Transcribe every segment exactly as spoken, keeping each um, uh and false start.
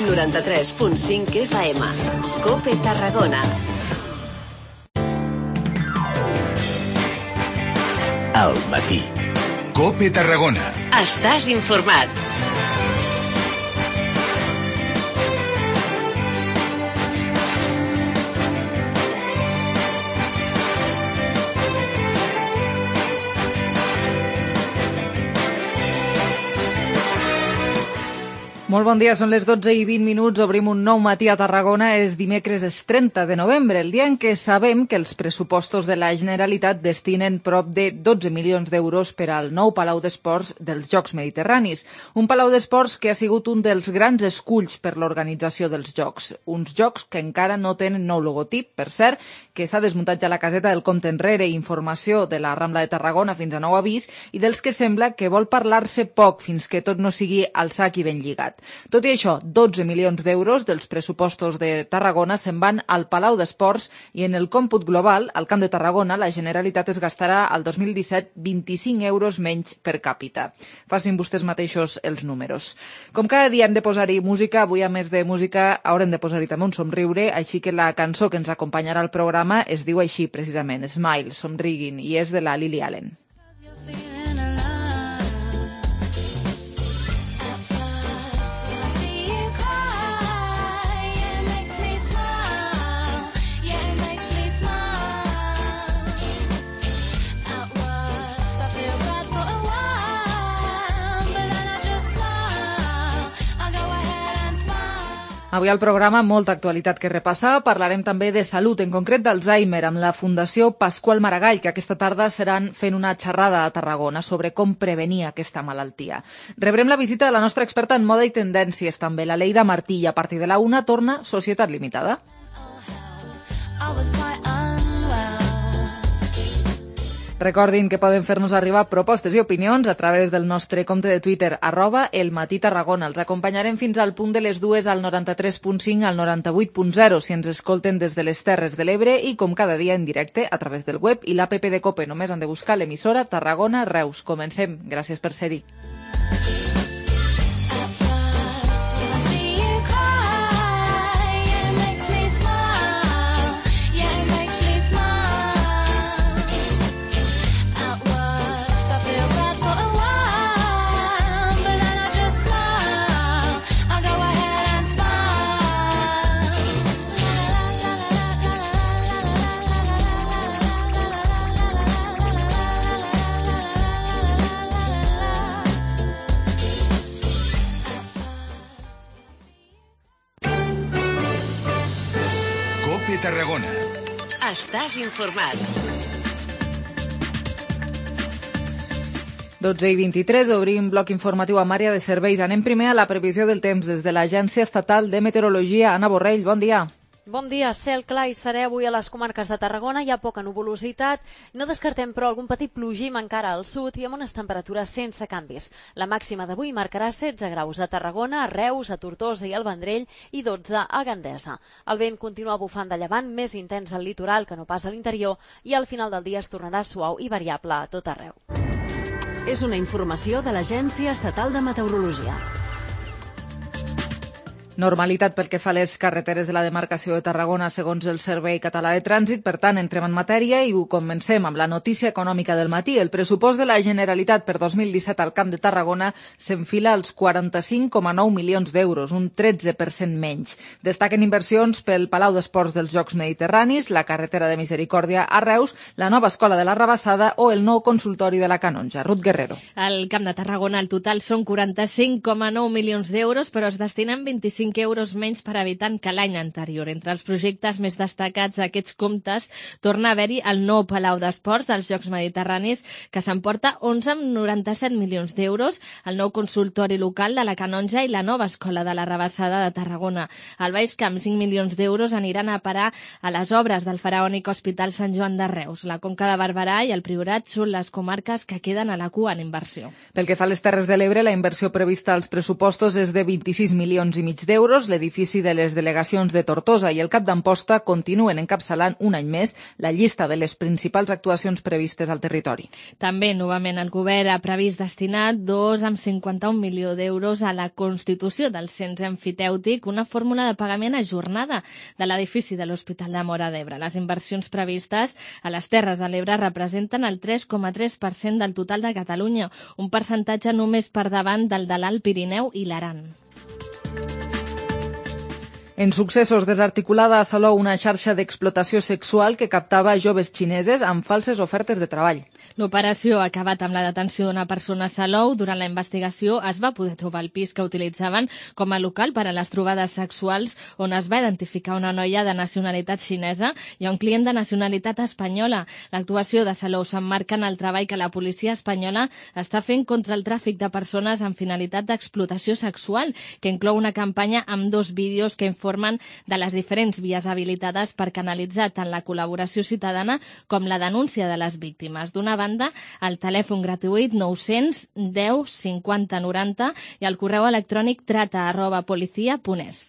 noranta-tres punt cinc F M. COPE Tarragona. Al matí. COPE Tarragona. Estàs informat. Molt bon dia, són les dotze i vint minuts, obrim un nou matí a Tarragona, és dimecres és trenta de novembre, el dia en què sabem que els pressupostos de la Generalitat destinen prop de dotze milions d'euros per al nou Palau d'Esports dels Jocs Mediterranis. Un Palau d'Esports que ha sigut un dels grans esculls per l'organització dels Jocs. Uns Jocs que encara no tenen nou logotip, per cert, que s'ha desmuntat ja la caseta del compte enrere i informació de la Rambla de Tarragona fins a nou avís i dels que sembla que vol parlar-se poc fins que tot no sigui al sac i ben lligat. Tot i això, dotze milions d'euros dels pressupostos de Tarragona se'n van al Palau d'Esports i en el còmput global, al Camp de Tarragona, la Generalitat es gastarà al dos mil disset vint-i-cinc euros menys per càpita. Facin vostès mateixos els números. Com cada dia hem de posar-hi música, avui a més de música haurem de posar-hi també un somriure, així que la cançó que ens acompanyarà al programa es diu així precisament, Smile, somriguin, i és de la Lily Allen. Avui al programa molta actualitat que repassar. Parlarem també de salut, en concret d'Alzheimer, amb la Fundació Pasqual Maragall, que aquesta tarda seran fent una xerrada a Tarragona sobre com prevenir aquesta malaltia. Rebrem la visita de la nostra experta en moda i tendències, també, la Leida Martí, i a partir de la una torna Societat Limitada. Recordin que poden fer-nos arribar propostes i opinions a través del nostre compte de Twitter, arroba El Matí Tarragona. Els acompanyarem fins al punt de les dues al noranta-tres punt cinc al noranta-vuit punt zero si ens escolten des de les Terres de l'Ebre i com cada dia en directe a través del web i l'app de COPE. Només han de buscar l'emissora Tarragona Reus. Comencem. Gràcies per ser-hi. Tarragona. Estàs informat. dotze i vint-i-tres, obrim bloc informatiu amb àrea de serveis. Anem primer a la previsió del temps des de l'Agència Estatal de Meteorologia. Anna Borrell, bon dia. Bon dia, cel clar i serè avui a les comarques de Tarragona, hi ha poca nuvolositat, no descartem però algun petit plogim encara al sud i amb unes temperatures sense canvis. La màxima d'avui marcarà setze graus a Tarragona, a Reus, a Tortosa i al Vendrell i dotze a Gandesa. El vent continua bufant de llevant, més intens al litoral que no pas a l'interior i al final del dia es tornarà suau i variable a tot arreu. És una informació de l'Agència Estatal de Meteorologia. Normalitat pel que fa a les carreteres de la demarcació de Tarragona segons el Servei Català de Trànsit. Per tant, entrem en matèria i ho comencem amb la notícia econòmica del matí. El pressupost de la Generalitat per dos mil disset al Camp de Tarragona s'enfila als quaranta-cinc coma nou milions d'euros, un tretze per cent menys. Destaquen inversions pel Palau d'Esports dels Jocs Mediterranis, la carretera de Misericòrdia a Reus, la nova escola de la Rabassada o el nou consultori de la Canonja. Ruth Guerrero. Al Camp de Tarragona el total són quaranta-cinc coma nou milions d'euros, però es destinen vint-i-cinc euros menys per habitant que l'any anterior. Entre els projectes més destacats d'aquests comptes torna a haver-hi el nou Palau d'Esports dels Jocs Mediterranis, que s'emporta onze coma noranta-set milions d'euros, el nou consultori local de la Canonja i la nova escola de la Rabassada de Tarragona. Al Baix Camp, cinc milions d'euros aniran a parar a les obres del faraònic Hospital Sant Joan de Reus. La Conca de Barberà i el Priorat són les comarques que queden a la cua en inversió. Pel que fa a les Terres de l'Ebre, la inversió prevista als pressupostos és de vint-i-sis milions i mig d'euros, d'euros. L'edifici de les delegacions de Tortosa i el Cap d'Amposta continuen encapçalant un any més la llista de les principals actuacions previstes al territori. També, novament, el govern ha previst destinar dos coma cinquanta-un milió d'euros a la constitució del cens emfitèutic, una fórmula de pagament ajornada de l'edifici de l'Hospital de Móra d'Ebre. Les inversions previstes a les Terres de l'Ebre representen el tres coma tres per cent del total de Catalunya, un percentatge només per davant del de l'Alt Pirineu i l'Aran. En successos, desarticulada a Salou una xarxa d'explotació sexual que captava joves xineses amb falses ofertes de treball. L'operació ha acabat amb la detenció d'una persona a Salou. Durant la investigació es va poder trobar el pis que utilitzaven com a local per a les trobades sexuals, on es va identificar una noia de nacionalitat xinesa i un client de nacionalitat espanyola. L'actuació de Salou s'emmarca en el treball que la policia espanyola està fent contra el tràfic de persones amb finalitat d'explotació sexual, que inclou una campanya amb dos vídeos que informen de les diferents vies habilitades per canalitzar tant la col·laboració ciutadana com la denúncia de les víctimes. D'una banda, el telèfon gratuït nou-cents deu cinquanta noranta i el correu electrònic trata arroba policia punt es.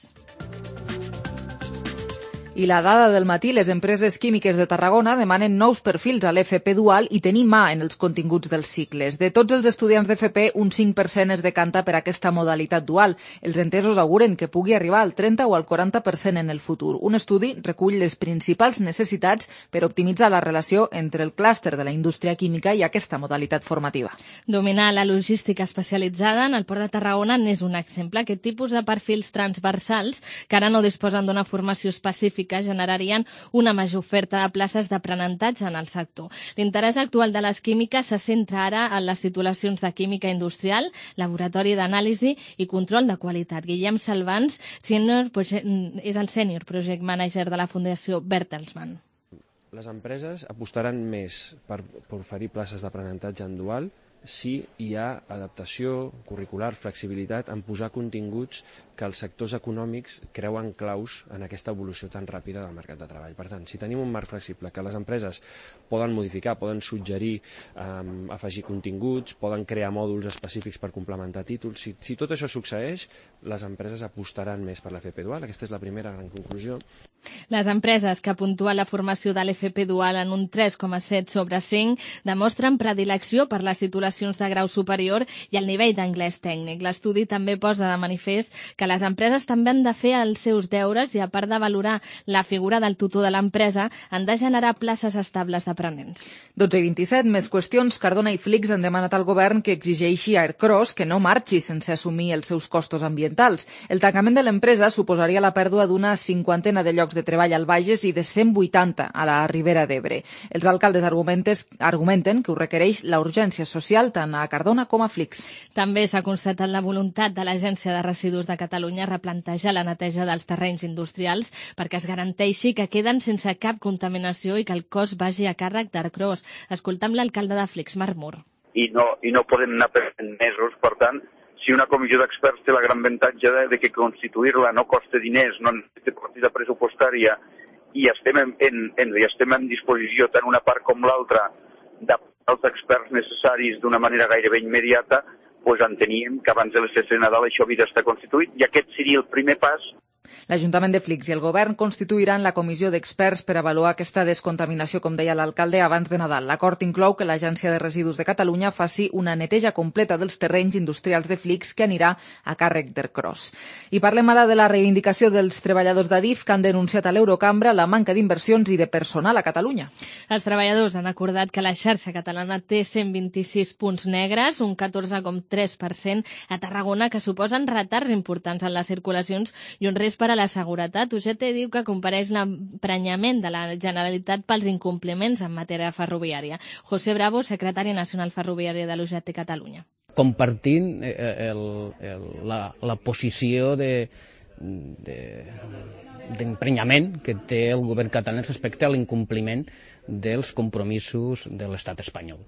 I la dada del matí, les empreses químiques de Tarragona demanen nous perfils a l'F P dual i tenir mà en els continguts dels cicles. De tots els estudiants d'F P, un cinc per cent es decanta per aquesta modalitat dual. Els entesos auguren que pugui arribar al trenta o al quaranta per cent en el futur. Un estudi recull les principals necessitats per optimitzar la relació entre el clúster de la indústria química i aquesta modalitat formativa. Dominar la logística especialitzada en el Port de Tarragona n'és un exemple. Aquest tipus de perfils transversals, que ara no disposen d'una formació específica, generarien una major oferta de places d'aprenentatge en el sector. L'interès actual de les químiques se centra ara en les titulacions de química industrial, laboratori d'anàlisi i control de qualitat. Guillem Salvans senior, és el Senior Project Manager de la Fundació Bertelsmann. Les empreses apostaran més per, per oferir places d'aprenentatge en dual si hi ha adaptació curricular, flexibilitat en posar continguts que els sectors econòmics creuen claus en aquesta evolució tan ràpida del mercat de treball. Per tant, si tenim un marc flexible que les empreses poden modificar, poden suggerir, um, afegir continguts, poden crear mòduls específics per complementar títols, si, si tot això succeeix, les empreses apostaran més per l'F P dual. Aquesta és la primera gran conclusió. Les empreses que puntuen la formació de l'F P dual en un tres coma set sobre cinc demostren predilecció per les titulacions de grau superior i el nivell d'anglès tècnic. L'estudi també posa de manifest que les empreses també han de fer els seus deures i, a part de valorar la figura del tutor de l'empresa, han de generar places estables d'aprenents. dotze i vint-i-set, més qüestions. Cardona i Flix han demanat al govern que exigeixi a Aircross que no marxi sense assumir els seus costos ambientals. El tancament de l'empresa suposaria la pèrdua d'una cinquantena de llocs de treball al Bages i de cent vuitanta a la Ribera d'Ebre. Els alcaldes argumenten que ho requereix la urgència social tant a Cardona com a Flix. També s'ha constatat la voluntat de l'Agència de Residus de Catalunya replantejar la neteja dels terrenys industrials perquè es garanteixi que queden sense cap contaminació i que el cost vagi a càrrec d'Aircross. Escoltam l'alcalde de Flix, Marc Mur. I no, i no podem anar per mesos, per tant, si una comissió d'experts té la gran avantatge de, de que constituir-la no costa diners, no necessita partida pressupostària i estem en, en, en, i estem en disposició tant una part com l'altra dels experts necessaris d'una manera gairebé immediata, doncs enteníem que abans de les festes de Nadal això havia d'estar constituït i aquest seria el primer pas. L'Ajuntament de Flix i el govern constituiran la comissió d'experts per avaluar aquesta descontaminació, com deia l'alcalde, abans de Nadal. L'acord inclou que l'Agència de Residus de Catalunya faci una neteja completa dels terrenys industrials de Flix que anirà a càrrec d'Aircross. I parlem ara de la reivindicació dels treballadors d'Adif que han denunciat a l'Eurocambra la manca d'inversions i de personal a Catalunya. Els treballadors han acordat que la xarxa catalana té cent vint-i-sis punts negres, un catorze coma tres per cent a Tarragona, que suposen retards importants en les circulacions i un risc per a la seguretat. U G T diu que compareix l'emprenyament de la Generalitat pels incompliments en matèria ferroviària. José Bravo, secretari nacional ferroviari de l'U G T Catalunya. Compartint el, el, la, la posició de, de, d'emprenyament que té el govern català respecte a l'incompliment dels compromisos de l'estat espanyol.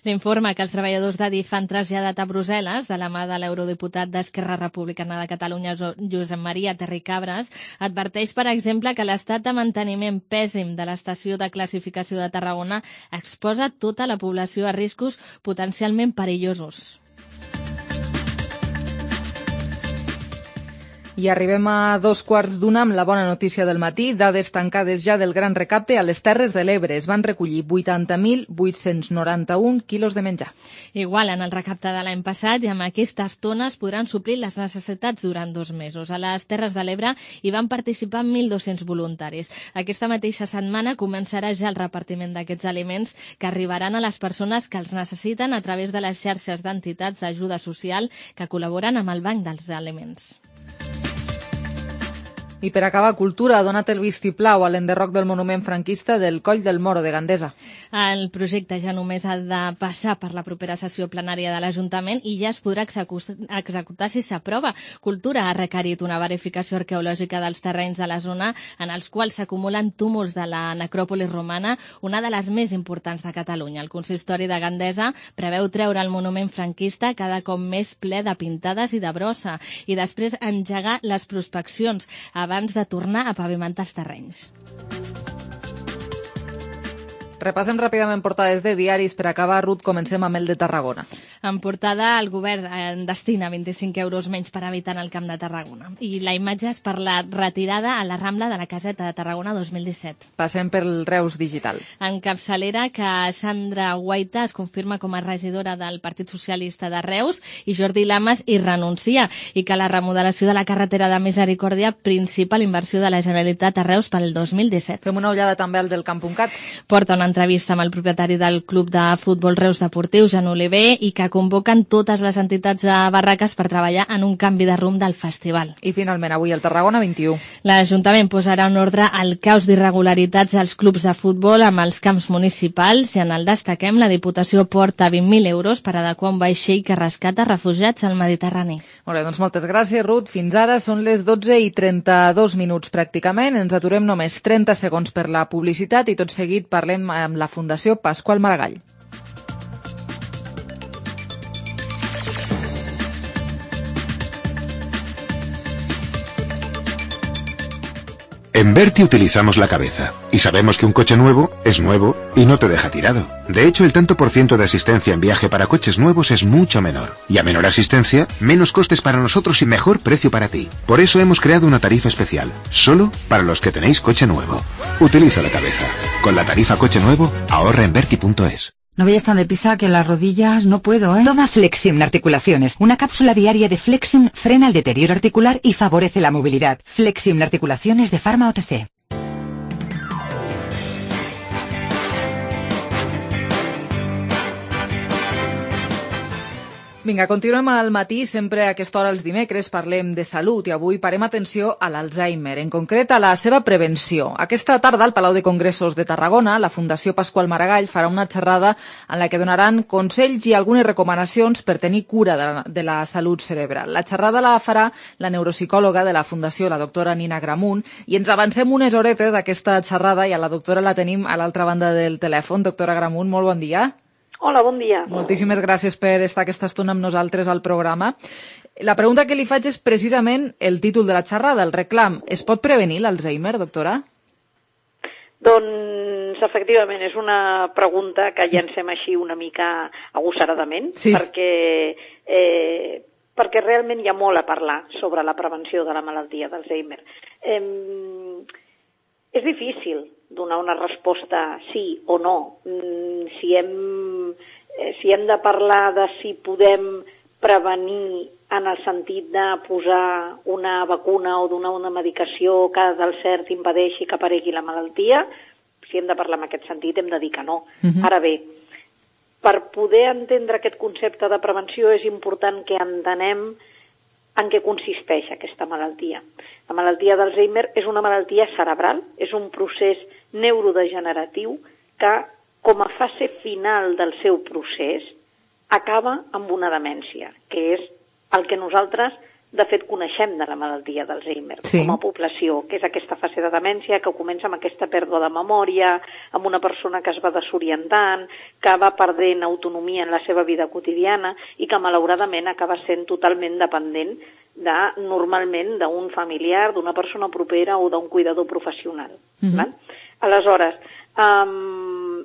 L'informe que els treballadors d'Adif han traslladat a Brussel·les de la mà de l'eurodiputat d'Esquerra Republicana de Catalunya, Josep Maria Terricabras, adverteix, per exemple, que l'estat de manteniment pèssim de l'estació de classificació de Tarragona exposa tota la població a riscos potencialment perillosos. I arribem a dos quarts d'una amb la bona notícia del matí. Dades tancades ja del gran recapte a les Terres de l'Ebre. Es van recollir vuitanta mil vuit-cents noranta-un quilos de menjar. Igual en el recapte de l'any passat, i amb aquestes tones podran suplir les necessitats durant dos mesos. A les Terres de l'Ebre hi van participar mil dos-cents voluntaris. Aquesta mateixa setmana començarà ja el repartiment d'aquests aliments que arribaran a les persones que els necessiten a través de les xarxes d'entitats d'ajuda social que col·laboren amb el Banc dels Aliments. I per acabar, Cultura ha donat el vistiplau a l'enderroc del monument franquista del Coll del Moro de Gandesa. El projecte ja només ha de passar per la propera sessió plenària de l'Ajuntament i ja es podrà executar si s'aprova. Cultura ha requerit una verificació arqueològica dels terrenys de la zona en els quals s'acumulen túmuls de la necròpolis romana, una de les més importants de Catalunya. El consistori de Gandesa preveu treure el monument franquista cada cop més ple de pintades i de brossa i després engegar les prospeccions abans de tornar a pavimentar els terrenys. Repassem ràpidament portades de diaris. Per acabar, Ruth, comencem amb el de Tarragona. En portada, el govern en destina vint-i-cinc euros menys per habitant al Camp de Tarragona. I la imatge és per la retirada a la Rambla de la Caseta de Tarragona dos mil disset. Passem pel Reus Digital. En capçalera, que Sandra Guaita es confirma com a regidora del Partit Socialista de Reus i Jordi Lamas hi renuncia, i que la remodelació de la carretera de Misericòrdia, principal inversió de la Generalitat a Reus pel dos mil disset. Fem una ullada també al del Camp punt cat. Porta una entrevista amb el propietari del Club de Futbol Reus Deportiu, Jan Oliver, i que convoquen totes les entitats de Barraques per treballar en un canvi de rumb del festival. I finalment avui el Tarragona vint-i-u. L'Ajuntament posarà en ordre el caos d'irregularitats als clubs de futbol amb els camps municipals, i en el destaquem la Diputació porta vint mil euros per adequar un vaixell que rescata refugiats al Mediterrani. Molt bé, doncs moltes gràcies, Ruth. Fins ara són les dotze i trenta-dos minuts pràcticament. Ens aturem només trenta segons per la publicitat i tot seguit parlem amb la Fundació Pasqual Maragall. En Berti utilizamos la cabeza y sabemos que un coche nuevo es nuevo y no te deja tirado. De hecho, el tanto por ciento de asistencia en viaje para coches nuevos es mucho menor. Y a menor asistencia, menos costes para nosotros y mejor precio para ti. Por eso hemos creado una tarifa especial, solo para los que tenéis coche nuevo. Utiliza la cabeza. Con la tarifa coche nuevo, ahorra en berti punto es. No vayas tan deprisa que las rodillas no puedo, ¿eh? Toma Flexium Articulaciones. Una cápsula diaria de Flexium frena el deterioro articular y favorece la movilidad. Flexium Articulaciones de Pharma O T C. Vinga, continuem al matí. Sempre a aquesta hora els dimecres parlem de salut i avui parem atenció a l'Alzheimer, en concret a la seva prevenció. Aquesta tarda al Palau de Congressos de Tarragona, la Fundació Pasqual Maragall farà una xerrada en la que donaran consells i algunes recomanacions per tenir cura de la, de la salut cerebral. La xerrada la farà la neuropsicòloga de la Fundació, la doctora Nina Gramunt, i ens avancem unes horetes a aquesta xerrada i a la doctora la tenim a l'altra banda del telèfon. Doctora Gramunt, molt bon dia. Hola, bon dia. Moltíssimes gràcies per estar aquesta estona amb nosaltres al programa. La pregunta que li faig és precisament el títol de la xerrada, el reclam. Es pot prevenir l'Alzheimer, doctora? Doncs, efectivament, és una pregunta que llancem així una mica agossaradament, sí. perquè, eh, perquè realment hi ha molt a parlar sobre la prevenció de la malaltia d'Alzheimer. Eh, és difícil donar una resposta sí o no. Si hem, si hem de parlar de si podem prevenir en el sentit de posar una vacuna o donar una medicació que del cert impedeixi que aparegui la malaltia, si hem de parlar en aquest sentit hem de dir que no. Uh-huh. Ara bé, per poder entendre aquest concepte de prevenció és important que entenem en què consisteix aquesta malaltia. La malaltia d'Alzheimer és una malaltia cerebral, és un procés neurodegeneratiu que, com a fase final del seu procés, acaba amb una demència, que és el que nosaltres, de fet, coneixem de la malaltia d'Alzheimer, sí. com a població, que és aquesta fase de demència que comença amb aquesta pèrdua de memòria, amb una persona que es va desorientant, que va perdent autonomia en la seva vida quotidiana i que, malauradament, acaba sent totalment dependent de, normalment, d'un familiar, d'una persona propera o d'un cuidador professional. Mm-hmm. Val? Aleshores, um,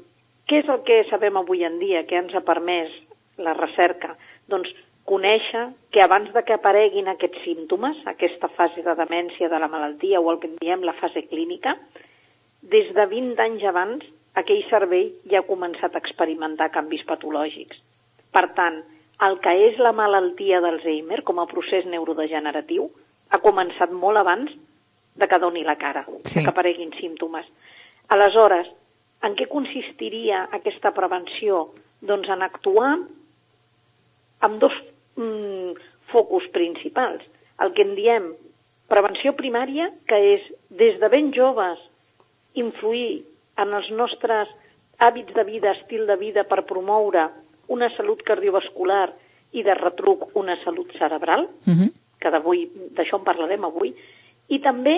què és el que sabem avui en dia, què ens ha permès la recerca? Doncs conèixer que abans de que apareguin aquests símptomes, aquesta fase de demència de la malaltia o el que en diem la fase clínica, des de vint anys abans aquell cervell ja ha començat a experimentar canvis patològics. Per tant, el que és la malaltia d'Alzheimer com a procés neurodegeneratiu ha començat molt abans de que doni la cara, sí. de que apareguin símptomes. Aleshores, en què consistiria aquesta prevenció? Doncs en actuar amb dos mm, focus principals. El que en diem prevenció primària, que és des de ben joves influir en els nostres hàbits de vida, estil de vida, per promoure una salut cardiovascular i de retruc una salut cerebral, uh-huh. que d'avui d'això en parlarem avui, i també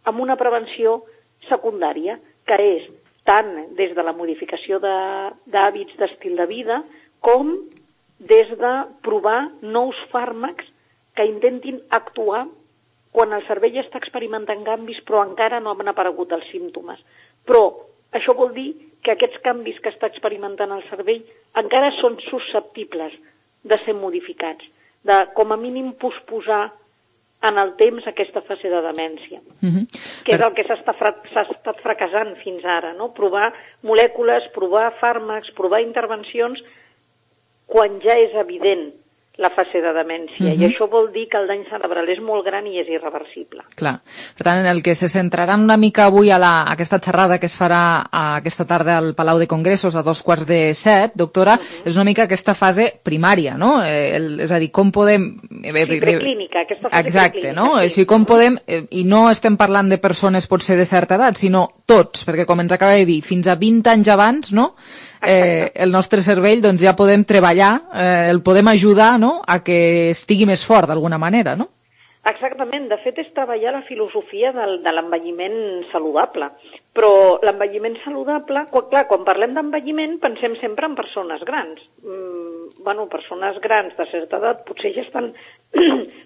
amb una prevenció secundària, que és tant des de la modificació d'hàbits d'estil de vida com des de provar nous fàrmacs que intentin actuar quan el cervell està experimentant canvis però encara no han aparegut els símptomes. Però això vol dir que aquests canvis que està experimentant el cervell encara són susceptibles de ser modificats, de com a mínim posposar en el temps aquesta fase de demència, uh-huh. que és el que s'ha estat fracassant fins ara, no? Provar molècules, provar fàrmacs, provar intervencions quan ja és evident la fase de demència, uh-huh. i això vol dir que el dany cerebral és molt gran i és irreversible. Clar. Per tant, el que se centrarà una mica avui a, la, a aquesta xerrada que es farà a aquesta tarda al Palau de Congressos a dos quarts de set, doctora, uh-huh. és una mica aquesta fase primària, no? Eh, el, és a dir, com podem... Sí, preclínica, aquesta fase Exacte, preclínica. No? Sí. O sigui, com podem... Eh, I no estem parlant de persones potser de certa edat, sinó tots, perquè com ens acaba de dir, fins a vint anys abans, no?, Eh, el nostre cervell doncs ja podem treballar, eh, el podem ajudar, no?, a que estigui més fort d'alguna manera, no? Exactament, de fet és treballar la filosofia del, de l'envelliment saludable, però l'envelliment saludable, quan, clar, quan parlem d'envelliment pensem sempre en persones grans, mm, bueno, persones grans de certa edat potser ja estan,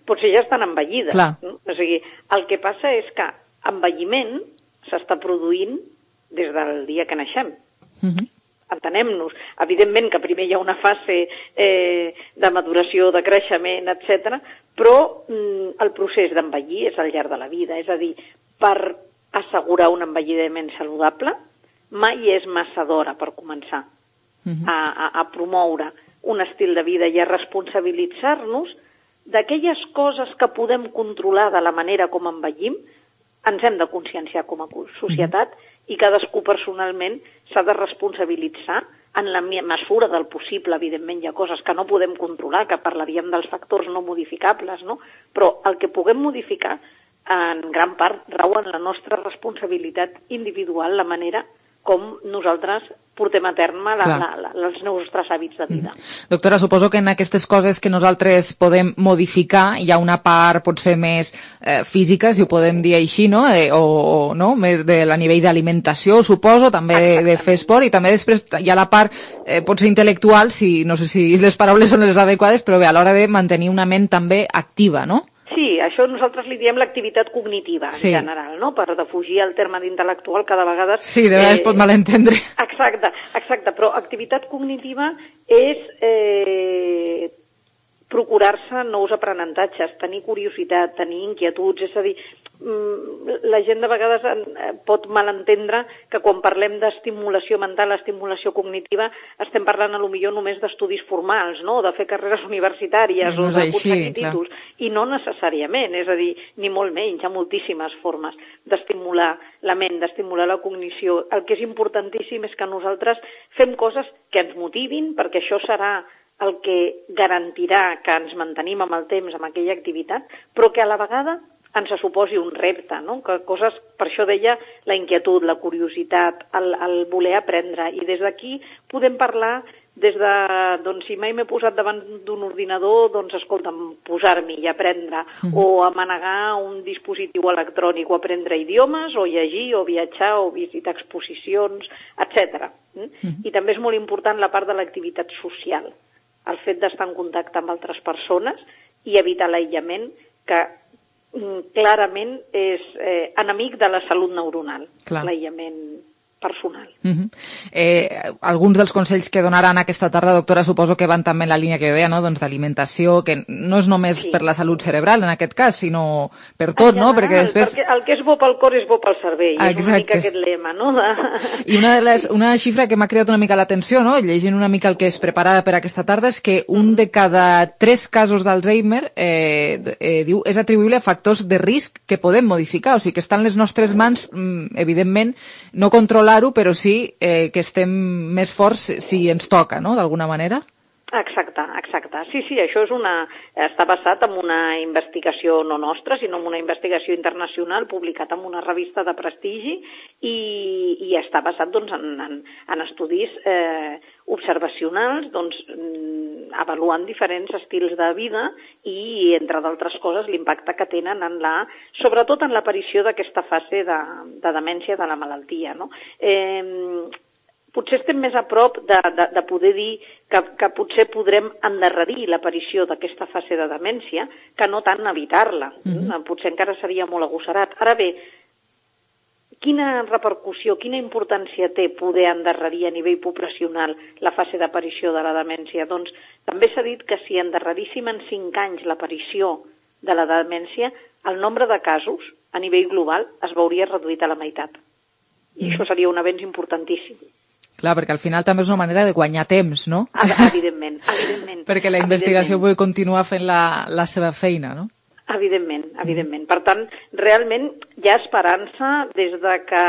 potser ja estan envellides, no? O sigui, el que passa és que envelliment s'està produint des del dia que naixem. Uh-huh. Entenem-nos. Evidentment que primer hi ha una fase eh, de maduració, de creixement, etcètera, però mm, el procés d'envellir és al llarg de la vida. És a dir, per assegurar un envelliment saludable mai és massa d'hora per començar uh-huh. a, a, a promoure un estil de vida i a responsabilitzar-nos d'aquelles coses que podem controlar de la manera com envellim. Ens hem de conscienciar com a societat uh-huh. i cadascú personalment s'ha de responsabilitzar en la mesura del possible. Evidentment hi ha coses que no podem controlar, que parlaríem dels factors no modificables, no? Però el que puguem modificar en gran part rau en la nostra responsabilitat individual, la manera com nosaltres portem a terme la, la, la, els nostres hàbits de vida. Mm. Doctora, suposo que en aquestes coses que nosaltres podem modificar hi ha una part potser més eh, física, si ho podem dir així, no? Eh, o, o no? Més de la nivell d'alimentació, suposo, també de, de fer esport, i també després hi ha la part eh, potser intel·lectual, si, no sé si les paraules són les adequades, però bé, a l'hora de mantenir una ment també activa, no? Sí, això nosaltres li diem l'activitat cognitiva, en sí. general, no? Per defugir el terme d'intel·lectual cada vegada... Sí, de vegades eh, pot malentendre. Exacte, exacte, però activitat cognitiva és eh, procurar-se nous aprenentatges, tenir curiositat, tenir inquietuds, és a dir, la gent de vegades pot malentendre que quan parlem d'estimulació mental, estimulació cognitiva, estem parlant a lo millor només d'estudis formals, no?, de fer carreres universitàries no o d'aconseguir títols, i no necessàriament, és a dir, ni molt menys, hi ha moltíssimes formes d'estimular la ment, d'estimular la cognició. El que és importantíssim és que nosaltres fem coses que ens motivin, perquè això serà el que garantirà que ens mantenim amb el temps amb aquella activitat, però que a la vegada ens suposi un repte, no? Que coses, per això deia, la inquietud, la curiositat, el, el voler aprendre, i des d'aquí podem parlar des de, doncs, si mai m'he posat davant d'un ordinador, doncs, escolta'm, posar-m'hi i aprendre, mm. o a manegar un dispositiu electrònic, o aprendre idiomes, o llegir, o viatjar, o visitar exposicions, etcètera. Mm. I també és molt important la part de l'activitat social, el fet d'estar en contacte amb altres persones i evitar l'aïllament, que clarament és eh, enemic de la salut neuronal, l'aïllament personal. Uh-huh. eh, alguns dels consells que donaran aquesta tarda, doctora, suposo que van també en la línia que jo deia, no? Doncs d'alimentació, que no és només sí. per la salut cerebral en aquest cas, sinó per tot, general, no? Perquè després... Perquè el que és bo pel cor és bo pel cervell, Exacte. És una mica aquest lema, no? De... I una, de les, una xifra que m'ha cridat una mica l'atenció, no? Llegint una mica el que és preparada per aquesta tarda, és que un de cada tres casos d'Alzheimer eh, eh, diu és atribuïble a factors de risc que podem modificar, o sigui que està en les nostres mans, evidentment, no controlar-ho, però sí eh, que estem més forts si ens toca, no?, d'alguna manera. Exacte, exacte. Sí, sí, això és una, està basat en una investigació no nostra, sinó en una investigació internacional publicat en una revista de prestigi i, i està basat doncs, en, en, en estudis eh, observacionals, doncs, avaluant diferents estils de vida i, entre d'altres coses, l'impacte que tenen en la, sobretot en l'aparició d'aquesta fase de, de demència de la malaltia, no? Eh, Potser estem més a prop de, de, de poder dir que, que potser podrem endarrerir l'aparició d'aquesta fase de demència que no tant evitar-la. Mm-hmm. Potser encara seria molt agosserat. Ara bé, quina repercussió, quina importància té poder endarrerir a nivell poblacional la fase d'aparició de la demència? Doncs també s'ha dit que si endarreríssim en cinc anys l'aparició de la demència, el nombre de casos a nivell global es veuria reduït a la meitat. I mm. això seria un avenç importantíssim. Clar, perquè al final també és una manera de guanyar temps, no? Evidentment, evidentment. Perquè la investigació pugui continuar fent la, la seva feina, no? Evidentment, evidentment. Per tant, realment hi ha esperança des de que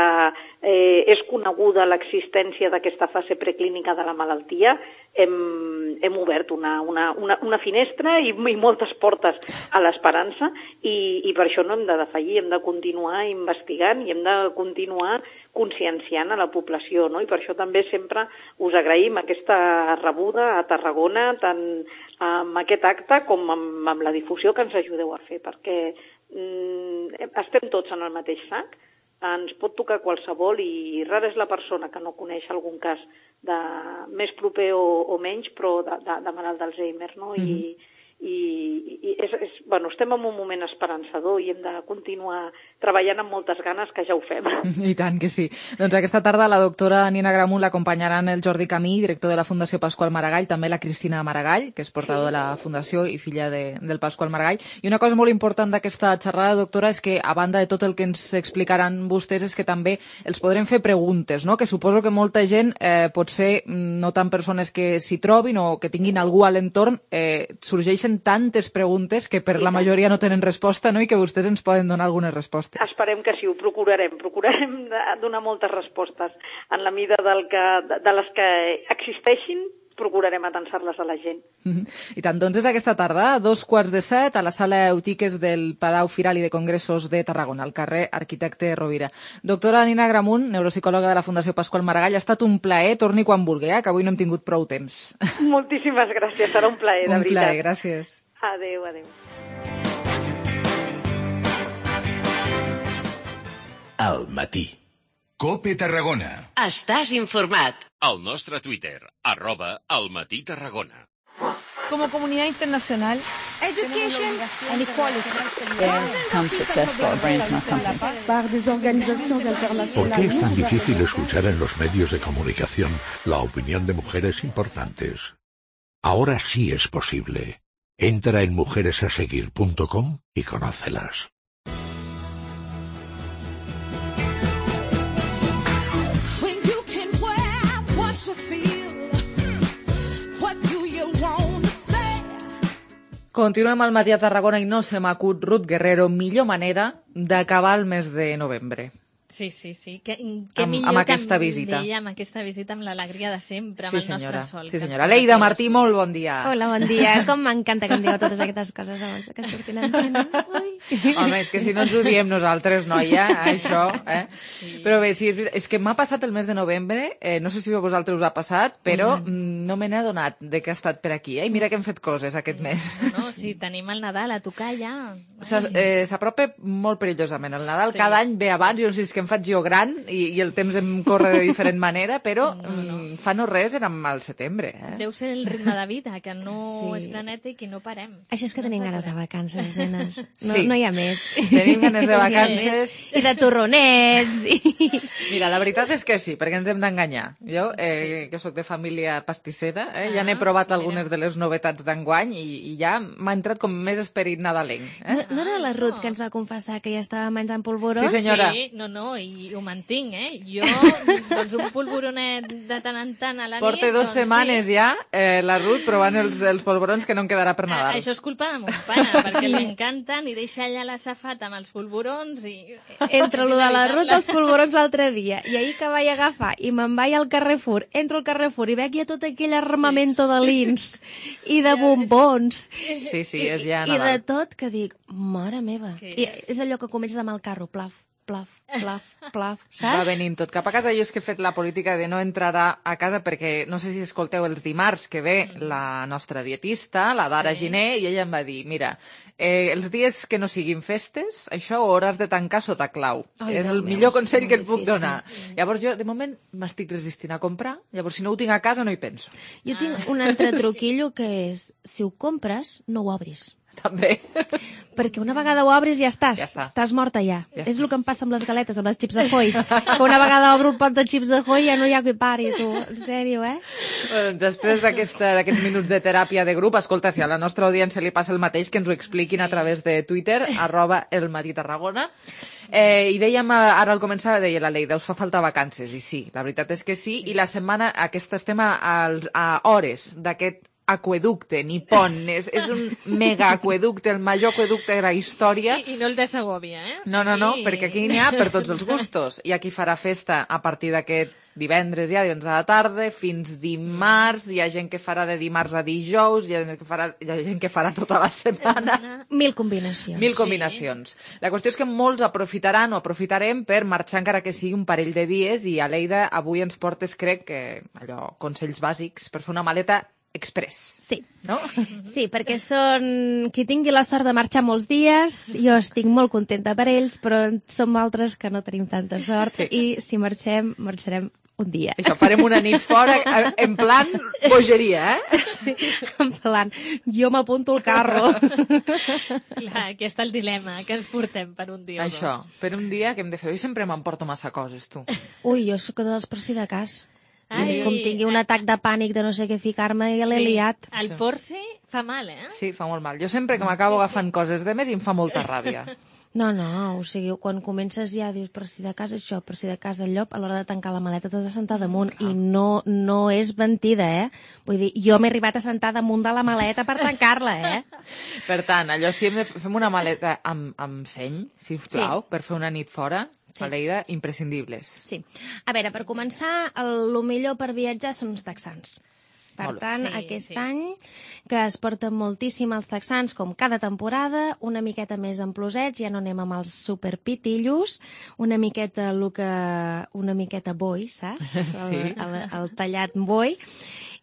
eh, és coneguda l'existència d'aquesta fase preclínica de la malaltia. Hem, hem obert una, una, una, una finestra i, i moltes portes a l'esperança i, i per això no hem de defallir, hem de continuar investigant i hem de continuar conscienciant a la població, no? I per això també sempre us agraïm aquesta rebuda a Tarragona, tant amb aquest acte com amb, amb la difusió que ens ajudeu a fer, perquè mm, estem tots en el mateix sac, ens pot tocar qualsevol i rara és la persona que no coneix algun cas de més proper o, o menys, però de, de, de malalt d'Alzheimer, no? I, mm-hmm. i, i és, és, bueno, estem en un moment esperançador i hem de continuar treballant amb moltes ganes, que ja ho fem. I tant que sí. Doncs aquesta tarda la doctora Nina Gramunt l'acompanyaran el Jordi Camí, director de la Fundació Pasqual Maragall, també la Cristina Maragall, que és portador sí. de la Fundació i filla de, del Pasqual Maragall. I una cosa molt important d'aquesta xerrada, doctora, és que, a banda de tot el que ens explicaran vostès, és que també els podrem fer preguntes, no? Que suposo que molta gent, eh, potser no tant persones que s'hi trobin o que tinguin algú a l'entorn, eh, sorgeixen tantes preguntes que per la majoria no tenen resposta, no? I que vostès ens poden donar algunes respostes. Esperem que sí, ho procurarem. Procurarem donar moltes respostes en la mida del que, de les que existeixin, procurarem atensar-les a la gent. Mm-hmm. I tant, doncs és aquesta tarda, a dos quarts de set, a la sala Eutiques del Palau Firal i de Congressos de Tarragona, al carrer Arquitecte Rovira. Doctora Nina Gramunt, neuropsicòloga de la Fundació Pasqual Maragall, ha estat un plaer, torni quan vulgui, eh, que avui no hem tingut prou temps. Moltíssimes gràcies, serà un plaer, de un veritat. Un plaer, gràcies. Adéu, adéu. Al matí. COPE Tarragona. Estàs informat. Al nostre Twitter, arroba Al Matí Tarragona. Como comunidad internacional, education and equality. Become successful brain smart companies. ¿Por qué es tan difícil escuchar en los medios de comunicación la opinión de mujeres importantes? Ahora sí es posible. Entra en mujeres a seguir punto com y conócelas. Continuem al matí a Tarragona i no se m'acut, Ruth Guerrero, millor manera d'acabar el mes de novembre. Sí, sí, sí. Que, que amb, millor amb aquesta que visita. Deia, amb aquesta visita, amb l'alegria de sempre, amb sí, el senyora. nostre sol. Sí, senyora. Leida Martí, molt bon dia. Hola, bon dia. Com m'encanta que em digueu totes aquestes coses abans que surtin en antena. Home, és que si no ens ho diem nosaltres, noia, això, eh? Sí. Però bé, sí, és, és que m'ha passat el mes de novembre, eh, no sé si a vosaltres us ha passat, però mm. no me n'he adonat de que ha estat per aquí, eh? I mira que hem fet coses aquest mes. No, no, sí, tenim el Nadal a tocar ja. S'apropa eh, molt perillosament. El Nadal sí. cada any ve abans, jo no sé si és que que em faig jo gran i, i el temps em corre de diferent manera, però no, no. Mm, fa no res érem al setembre. Eh? Deu ser el ritme de vida, que no Sí. és frenètic i no parem. Això és que tenim ganes de vacances, nenes. No, Sí. no hi ha més. Tenim ganes de vacances. I de torronets. I... Mira, la veritat és que sí, perquè ens hem d'enganyar. Jo, eh, que sóc de família pastissera, eh, ja n'he provat algunes de les novetats d'enguany i, i ja m'ha entrat com més esperit nadalenc. Eh? No, no era la Ruth que ens va confessar que ja estava menjant polvorós? Sí, senyora. Sí, no, no, i ho mantinc, eh? Jo, doncs un polvoronet de tant en tant a la nit... Porta dos doncs, setmanes sí. ja, eh, la Ruth, provant els, els polvorons que no en quedarà per Nadal. Això és culpa de mon pare, perquè sí. l'encanten i deixa allà la safata amb els polvorons i... Entre lo de la Ruth els polvorons l'altre dia i ahir que vaig agafar i me'n vaig al Carrefour, entro al Carrefour i veig ja tot aquell armamento sí. de lins i de bombons sí, sí, és ja i, i de Nadal. tot que dic, mare meva. I és allò que comences amb el carro, plaf, plaf, plaf, plaf, saps? Va venint tot cap a casa. Jo és que he fet la política de no entrar a, a casa perquè no sé si escolteu els dimarts que ve mm. la nostra dietista, la Dara sí. Giner, i ella em va dir, mira, eh, els dies que no siguin festes, això ho hauràs de tancar sota clau. Ai, és el meu, millor consell que et puc difícil. donar. Mm. Llavors jo, de moment, m'estic resistint a comprar, llavors si no ho tinc a casa no hi penso. Jo tinc un altre truquillo que és, si ho compres, no ho obris. També. Perquè una vegada ho obris ja estàs, Ja està. estàs morta ja. Ja és estàs. el que em passa amb les galetes, amb les xips de Foy. Que una vegada obro el pot de xips de Foy ja no hi ha qui pari, tu. En sèrio, eh? Bueno, després d'aquesta- d'aquests minuts de teràpia de grup, escolta, si a la nostra audiència li passa el mateix, que ens ho expliquin sí. a través de Twitter, arroba el Matí Tarragona. Eh, I dèiem, eh, ara al començar, deia la Leida, us fa falta vacances, i sí, la veritat és que sí, i la setmana aquesta estem a, a, a hores d'aquest aqueducte, ni pont, és, és un mega aqueducte, el major aqueducte de la història. I, i no el de Segòvia, eh? No, no, no, Sí. perquè aquí n'hi ha per tots els gustos. Hi ha qui farà festa a partir d'aquest divendres ja, doncs a la tarda, fins dimarts, hi ha gent que farà de dimarts a dijous, hi ha gent que farà, hi ha gent que farà tota la setmana. Mil combinacions. Mil combinacions. Sí. La qüestió és que molts aprofitaran o aprofitarem per marxar encara que sigui un parell de dies i Aleida, avui ens portes, crec, que allò, consells bàsics per fer una maleta express. Sí. No? Sí, perquè són qui tingui la sort de marxar molts dies, jo estic molt contenta per ells, però som altres que no tenim tanta sort sí. i si marxem, marxarem un dia. Això, farem una nit fora en plan bogeria, eh? Sí, en plan, jo m'apunto al carro. Clar, aquí està el dilema, que ens portem per un dia Això, o dos. per un dia que hem de fer. Jo sempre m'emporto massa coses, tu. Ui, jo sóc dels per si de cas. Ai, Com tingui un atac de pànic de no sé què ficar-me, ja l'he Sí. liat. El porci fa mal, eh? Sí, fa molt mal. Jo sempre que m'acabo agafant coses de més i em fa molta ràbia. No, no, o sigui, quan comences ja dius per si de casa això, per si de casa el llop, a l'hora de tancar la maleta t'has de sentar damunt i no, no és mentida, eh? Vull dir, jo m'he arribat a sentar damunt de la maleta per tancar-la, eh? Per tant, allò si hem de fem una maleta amb, amb seny, si us plau, Sí. per fer una nit fora, Sí. Aleida, imprescindibles. Sí. A veure, per començar, el, el millor per viatjar són els texans. Per Molt bé. tant, Sí, aquest sí. any, que es porten moltíssim els texans, com cada temporada, una miqueta més amplosets, ja no anem amb els superpitillos, una miqueta, el que, una miqueta boi, saps? El, Sí. el, el tallat boi.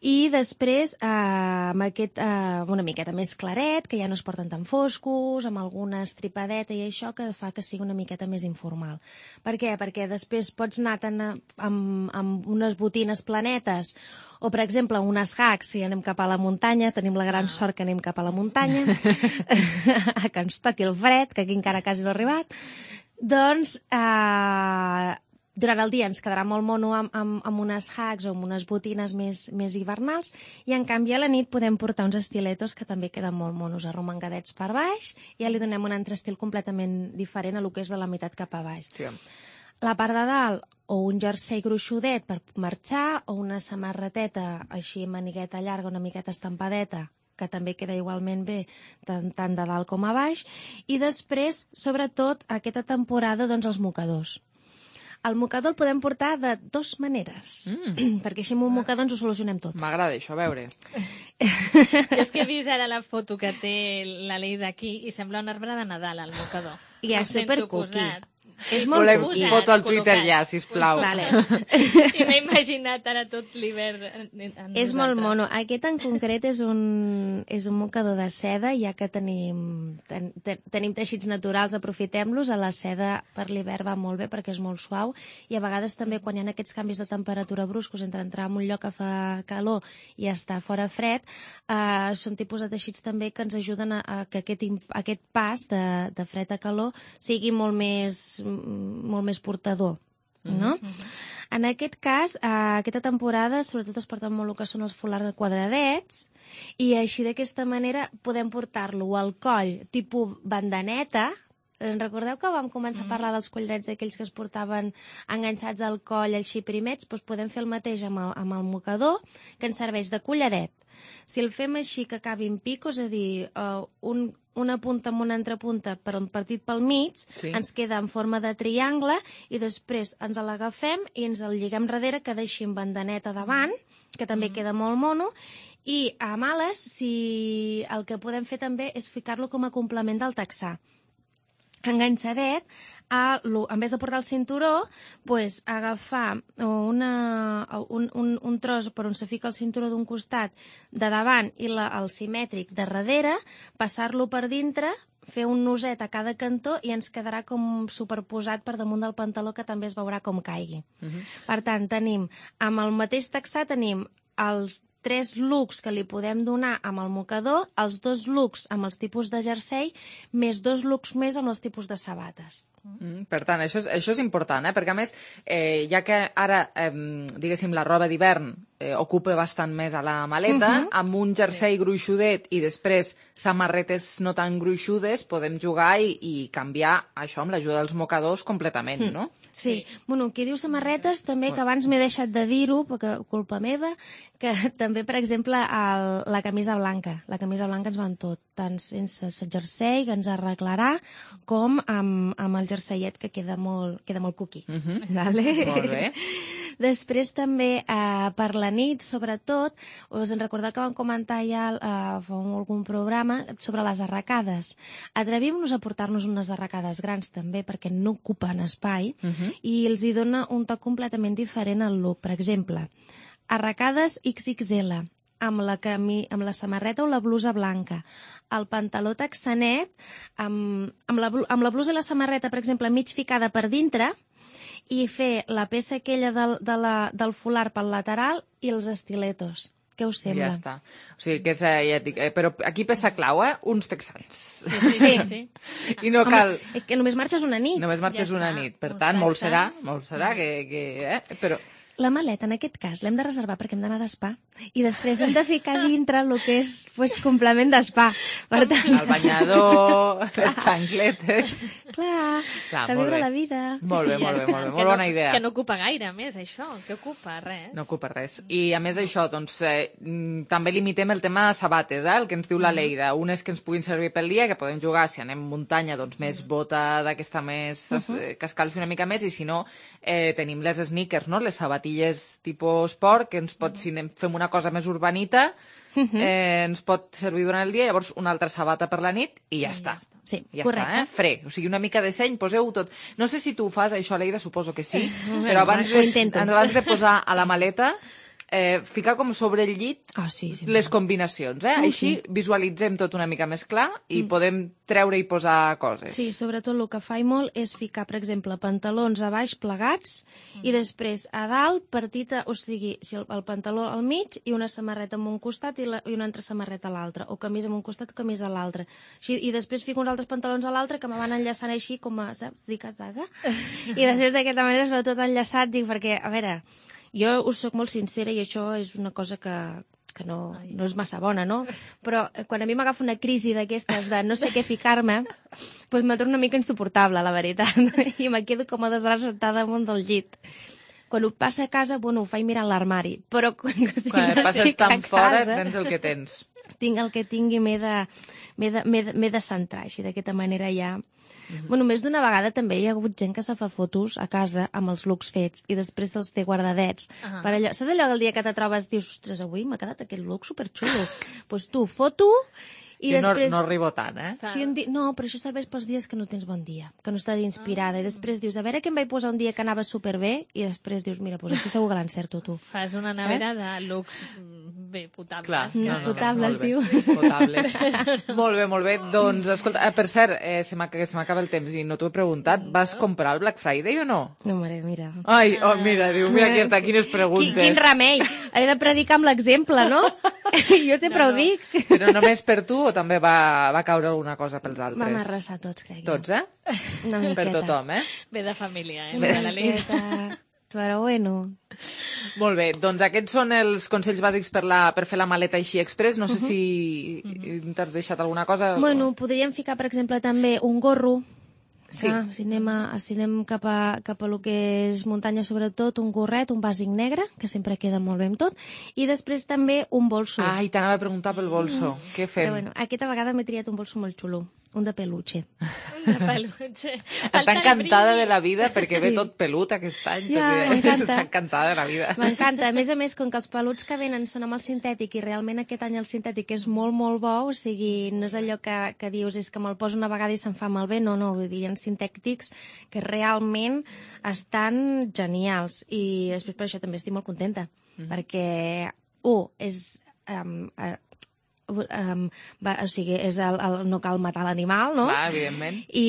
I després, eh, amb aquest, eh, una miqueta més claret, que ja no es porten tan foscos, amb alguna estripadeta i això, que fa que sigui una miqueta més informal. Per què? Perquè després pots anar tan a, amb, amb unes botines planetes, o, per exemple, unes hacks, si anem cap a la muntanya, tenim la gran sort que anem cap a la muntanya, que ens toqui el fred, que aquí encara quasi no ha arribat, doncs, eh, durant el dia ens quedarà molt mono amb, amb, amb unes hacks o amb unes botines més, més hivernals i, en canvi, a la nit podem portar uns estiletos que també queden molt monos, arromangadets per baix, i ja li donem un altre estil completament diferent a lo que és de la meitat cap a baix. Sí. La part de dalt, o un jersei gruixudet per marxar, o una samarreteta així manigueta llarga, una miqueta estampadeta, que també queda igualment bé tant, tant de dalt com a baix, i després, sobretot, aquesta temporada, doncs, els mocadors. El mocador el podem portar de dues maneres, mm. perquè així amb un mocador ens ho solucionem tot. M'agrada això, a veure. Jo és que he vist ara la foto que té la Leida aquí i sembla un arbre de Nadal, el mocador. I és Ho sento supercuqui. posat. És molt Volem confús, foto al col·locat. Twitter ja, sisplau. Vale. I m'he imaginat ara tot l'hivern en, en És molt nosaltres. mono. Aquest en concret és un, és un mocador de seda, ja que tenim, ten, ten, tenim teixits naturals, aprofitem-los. A la seda per l'hivern va molt bé perquè és molt suau i a vegades també quan hi ha aquests canvis de temperatura bruscos entre entrar en un lloc que fa calor i estar fora fred, eh, són tipus de teixits també que ens ajuden a, a que aquest, imp- aquest pas de, de fred a calor sigui molt més, molt més portador. No? Mm-hmm. En aquest cas, eh, aquesta temporada sobretot es porten molt el que són els folars quadradets i així d'aquesta manera podem portar-lo al coll tipus bandaneta. Recordeu que vam començar a parlar dels collarets aquells que es portaven enganxats al coll, així primets? Doncs podem fer el mateix amb el, amb el mocador, que ens serveix de collaret. Si el fem així que acabi en pico, és a dir, uh, un, una punta amb una entrepunta per un partit pel mig, Sí. ens queda en forma de triangle i després ens l'agafem i ens el lliguem darrere que deixi en bandaneta davant, que també queda molt mono, i a males, si el que podem fer també és ficar-lo com a complement del texà. Enganxadet, a, lo- en vez de portar el cinturó, pues, agafar una, un, un, un tros per on se fica el cinturó d'un costat de davant i la, el simètric de darrere, passar-lo per dintre, fer un noset a cada cantó i ens quedarà com superposat per damunt del pantaló, que també es veurà com caigui. Mhm. Per tant, tenim, amb el mateix texà tenim els tres looks que li podem donar amb el mocador, els dos looks amb els tipus de jersei, més dos looks més amb els tipus de sabates. Mm, per tant, això és, això és important, eh? Perquè a més, eh, ja que ara, eh, diguéssim, la roba d'hivern eh, ocupa bastant més a la maleta, Mhm. amb un jersei sí. gruixudet i després samarretes no tan gruixudes, podem jugar i, i canviar això amb l'ajuda dels mocadors completament, Mm. no? Sí. sí. Bueno, qui diu samarretes, també, que abans m'he deixat de dir-ho, perquè culpa meva, que també, per exemple, el, la camisa blanca. La camisa blanca ens va en tot, tant sense el jersei, que ens arreglarà, com amb, amb el jerseiet, que queda molt, queda molt cuqui. Mhm. Vale? Molt bé. Després també, eh, per la nit, sobretot, us en recordeu que vam comentar ja eh, fa algun programa sobre les arracades. Atrevim-nos a portar-nos unes arracades grans també, perquè no ocupen espai, Mhm. i els hi dona un toc completament diferent al look. Per exemple, arracades ics ics ele, amb la, cami, amb la samarreta o la blusa blanca, el pantaló texanet, amb, amb, la, blu- amb la blusa i la samarreta, per exemple, mig ficada per dintre, i fer la peça aquella del, de la, del folar pel lateral i els estiletos. Què us sembla? Ja està. O sigui, que és, eh, ja et dic, eh, però aquí peça clau, eh? Uns texans. Sí, sí, sí. sí. I no cal... Home, és que només marxes una nit. Només marxes Ja una està. nit. Per Uns tant, molt serà, texans. molt serà que... que eh? Però... La maleta, en aquest cas, l'hem de reservar perquè hem d'anar d'espa. I després hem de ficar dintre el que és pues, complement d'espa. Per tant... El banyador, les xancletes... Clar, Clar, a molt viure bé. la vida. Molt bé, molt bé, molt bé. Que Molt no- bona idea. Que no ocupa gaire, a més, això. Que ocupa? Res. No ocupa res. I a més d'això, doncs, eh, mm, també limitem el tema de sabates, eh, el que ens diu la Leida. Unes que ens puguin servir pel dia, que podem jugar, si anem a muntanya, doncs més bota d'aquesta més, Uh-huh. eh, que escalfi una mica més, i si no, eh, tenim les sneakers, no? Les sabatilles tipus esport, que ens pot, si anem, fem una cosa més urbanita, eh, ens pot servir durant el dia, llavors una altra sabata per la nit i ja està. Sí, ja correcte. està, eh? Fre. O sigui, una mica de seny, poseu tot. No sé si tu ho fas, això, Leida, suposo que sí, Bueno, però abans ho de, intento. abans de posar a la maleta, eh, ficar com sobre el llit oh, sí, sí, les combinacions, eh? Oh, Així sí. visualitzem tot una mica més clar i Mm. podem treure i posar coses. Sí, sobretot el que faig molt és ficar, per exemple, pantalons a baix plegats i després a dalt partit, a, o sigui, si el, el pantaló al mig i una samarreta en un costat i, la, i una altra samarreta a l'altre, o camisa en un costat, camisa a l'altre. Així, i després fico uns altres pantalons a l'altre que me van enllaçant així com a, saps, ziga-zaga. I després d'aquesta manera es veu tot enllaçat, dic, perquè, a veure, jo us soc molt sincera i això és una cosa que, que no, no és massa bona, no? Però eh, quan a mi m'agafa una crisi d'aquestes de no sé què ficar-me, doncs me torno una mica insuportable, la veritat, i me quedo com a dos hores sentada damunt del llit. Quan ho passa a casa, bueno, ho faig mirant l'armari, però quan, si Quan no passes estic a tan fora, casa, tens el que tens. tinc el que tingui, m'he de, m'he de, m'he de, m'he de centrar, així d'aquesta manera ja... Mm-hmm. Bueno, més d'una vegada també hi ha hagut gent que se fa fotos a casa amb els looks fets i després se'ls té guardadets. Ah. Per allò, saps allò que el dia que te trobes dius, ostres, avui m'ha quedat aquest look superxulo? Doncs pues tu, foto I jo després... no, no arribo tant, eh? Si un di... No, però això serveix pels dies que no tens bon dia, que no estàs inspirada, i després dius, a veure què em vaig posar un dia que anava superbé, i després dius, mira, doncs aquí segur que l'encerto tu. Fas una nevera de lux bé potables. Clar, no, no, potables, diu. Potables. Molt bé, molt bé. Doncs, escolta, eh, per cert, eh, se m'acaba el temps i no t'ho he preguntat, vas comprar el Black Friday o no? No, mare, mira. Ai, oh, mira, diu, mira aquí està, quines preguntes. Quin, quin remei! He de predicar amb l'exemple, no? Jo sempre no, ho dic. No. Però només per tu o també va, va caure alguna cosa pels altres? Vam arrasar tots, crec. Tots, eh? Una miqueta. Per tothom, eh? Ve de família, eh? Ve de miqueta. Però bueno. Molt bé, doncs aquests són els consells bàsics per, la, per fer la maleta així express. No sé uh-huh. si uh-huh. t'has deixat alguna cosa. Bueno, podríem ficar, per exemple, també un gorro. Sí. Ah, si anem, a, si anem cap, a, cap a lo que és muntanya, sobretot, un gorret, un bàsic negre, que sempre queda molt bé amb tot, i després també un bolso. Ai, t'anava a preguntar pel bolso. Mm. Què fem? Però bueno, aquesta vegada m'he triat un bolso molt xulo, un de peluche. Un de peluche. Està encantada de la vida perquè sí. ve tot pelut aquest any. Ja, tot m'encanta. Està encantada de la vida. M'encanta. A més a més, com que els peluts que venen són amb el sintètic i realment aquest any el sintètic és molt, molt bo, o sigui, no és allò que, que dius és que me'l poso una vegada i se'm fa malbé, no, no, vull dir, hi ha sintètics que realment estan genials i després per això també estic molt contenta, mm. perquè, un, és... Um, uh, Um, va, o sigui, és el, el, no cal matar l'animal, no? Clar, evidentment. I,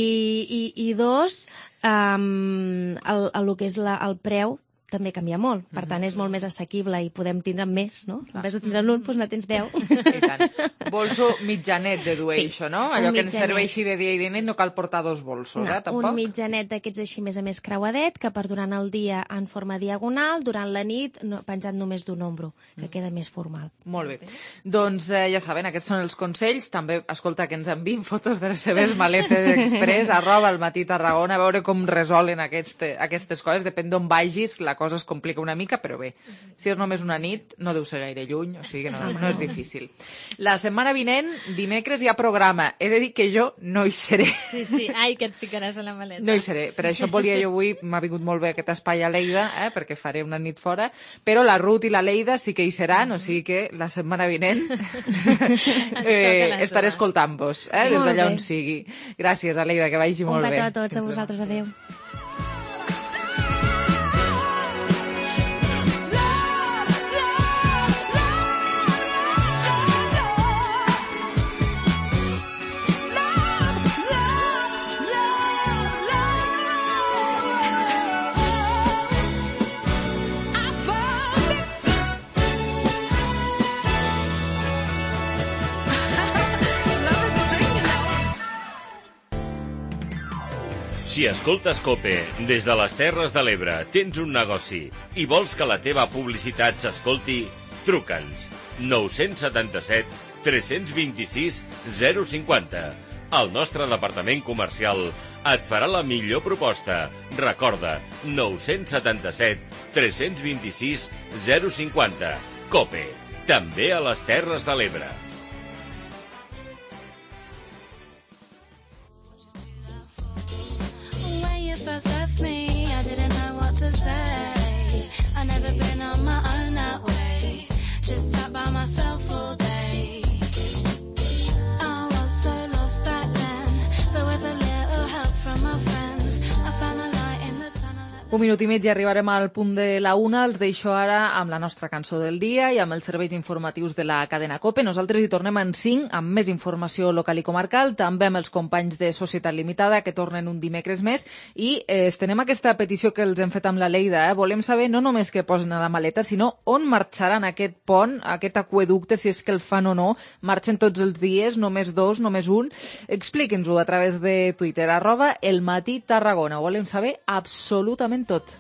i, i dos, um, el, el, el que és la, el preu també canvia molt. Per tant, és molt més assequible i podem tindre més, no? En vez de tindre un, doncs ne tens deu. I tant. Bolso mitjanet de dur, sí, això, no? Allò que ens serveixi de dia i de nit, no cal portar dos bolsos, no, eh? Tampoc? Un mitjanet d'aquests així més a més creuadet, que per durant el dia en forma diagonal, durant la nit no, penjat només d'un ombro, que queda més formal. Molt bé. Doncs eh, ja saben, aquests són els consells. També, escolta, que ens envien fotos de les seves maletes express, arroba al Matí Tarragona, a veure com resolen aquest, aquestes coses. Depèn d'on vagis, la cosa es complica una mica, però bé, si és només una nit, no deu ser gaire lluny, o sigui que no, no és difícil. La setmana vinent, dimecres, hi ha programa. He de dir que jo no hi seré. Sí, sí, ai, que et ficaràs a la maleta. No hi seré, per això volia jo avui, m'ha vingut molt bé aquest espai a Lleida, eh, perquè faré una nit fora, però la Ruth i la Leida sí que hi seran, o sigui que la setmana vinent eh, estaré escoltant-vos, eh, des d'allà on sigui. Gràcies, Aleida, que vagi molt bé. Un petó a tots, a vosaltres, adeu. Si escoltes COPE des de les Terres de l'Ebre, tens un negoci i vols que la teva publicitat s'escolti, truca'ns nou set set, tres dos sis, zero cinquanta. El nostre departament comercial et farà la millor proposta. Recorda, nou set set, tres dos sis, zero cinquanta. COPE, també a les Terres de l'Ebre. First left me, I didn't know what to say. I never been on my own that way. Just sat by myself all day. I was so lost back then, but with a little help from my friends, I found a light in the tunnel. Un minut i mig i arribarem al punt de la una. Els deixo ara amb la nostra cançó del dia i amb els serveis informatius de la cadena COPE. Nosaltres hi tornem en cinc amb més informació local i comarcal, també amb els companys de Societat Limitada que tornen un dimecres més i eh, estenem aquesta petició que els hem fet amb la Leida. Eh? Volem saber no només què posen a la maleta, sinó on marxaran aquest pont, aquest aqüeducte, si és que el fan o no. Marxen tots els dies, només dos, només un. Explique'ns-ho a través de Twitter, arroba El Matí Tarragona. Ho volem saber absolutament tot.